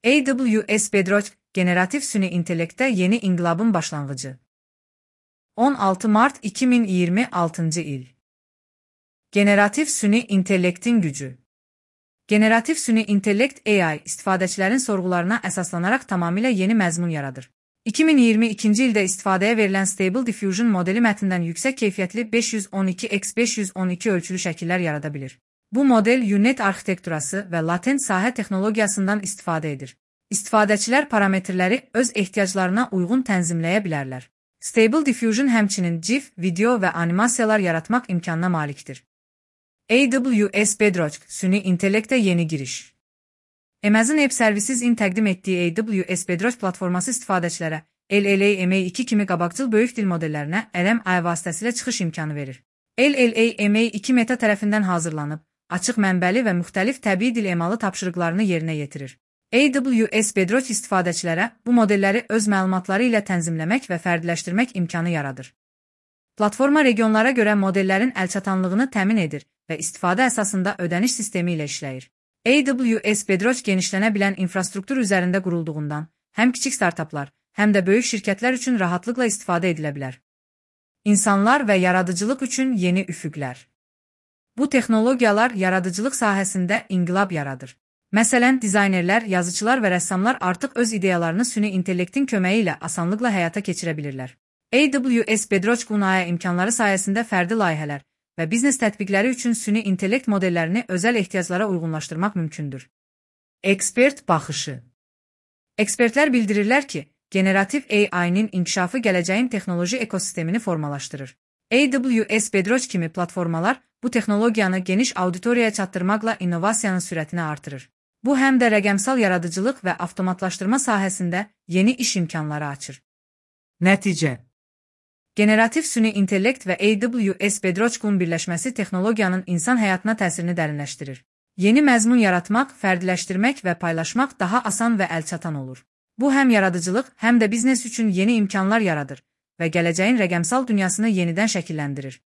AWS Bedrock, generatif süni intellekt'te yeni inqilabın başlanğıcı. 16 Mart 2026 il. Generatif süni intellektin gücü. Generatif süni intellekt AI, istifadəçilərin sorğularına əsaslanaraq tamamilə yeni məzmun yaradır. 2022-ci ildə istifadəyə verilən Stable Diffusion modeli mətndən yüksək keyfiyyətli 512x512 ölçülü şəkillər yarada bilir. Bu model UNet arxitekturası və latent sahə texnologiyasından istifadə edir. İstifadəçilər parametrləri öz ehtiyaclarına uyğun tənzimləyə bilərlər. Stable Diffusion həmçinin GIF, video və animasiyalar yaratmaq imkanına malikdir. AWS Bedrock, süni intellektə yeni giriş. Amazon Web Services-in təqdim etdiyi AWS Bedrock platforması istifadəçilərə LLaMA2 kimi qabaqcıl böyük dil modellərinə LLaMA vasitəsilə çıxış imkanı verir. LLaMA2 Meta tərəfindən hazırlanıb, açıq mənbəli və müxtəlif təbii dil emalı tapşırıqlarını yerinə yetirir. AWS Bedrock istifadəçilərə bu modelləri öz məlumatları ilə tənzimləmək və fərdiləşdirmək imkanı yaradır. Platforma regionlara görə modellərin əlçatanlığını təmin edir və istifadə əsasında ödəniş sistemi ilə işləyir. AWS Bedrock genişlənə bilən infrastruktur üzərində qurulduğundan, həm kiçik startaplar, həm də böyük şirkətlər üçün rahatlıqla istifadə edilə bilər. İnsanlar və yaradıcılıq üçün yeni üfüqlər. Bu texnologiyalar yaradıcılıq sahəsində inqilab yaradır. Məsələn, dizaynerlər, yazıçılar və rəssamlar artıq öz ideyalarını süni intellektin köməyi ilə asanlıqla həyata keçirə bilirlər. AWS Bedrock QNAE imkanları sayəsində fərdi layihələr və biznes tətbiqləri üçün süni intellekt modellərini özəl ehtiyaclara uyğunlaşdırmaq mümkündür. Ekspert baxışı. Ekspertlər bildirirlər ki, generativ AI-nin inkişafı gələcəyin texnoloji ekosistemini formalaşdırır. AWS Bedrock kimi platformalar bu texnologiyanı geniş auditoriyaya çatdırmaqla innovasiyanın sürətini artırır. Bu həm də rəqəmsal yaradıcılıq və avtomatlaşdırma sahəsində yeni iş imkanları açır. Nəticə. Generativ süni intellekt və AWS Bedrock'un birləşməsi texnologiyanın insan həyatına təsirini dərinləşdirir. Yeni məzmun yaratmaq, fərdiləşdirmək və paylaşmaq daha asan və əlçatan olur. Bu həm yaradıcılıq, həm də biznes üçün yeni imkanlar yaradır və gələcəyin rəqəmsal dünyasını yenidən şəkilləndirir.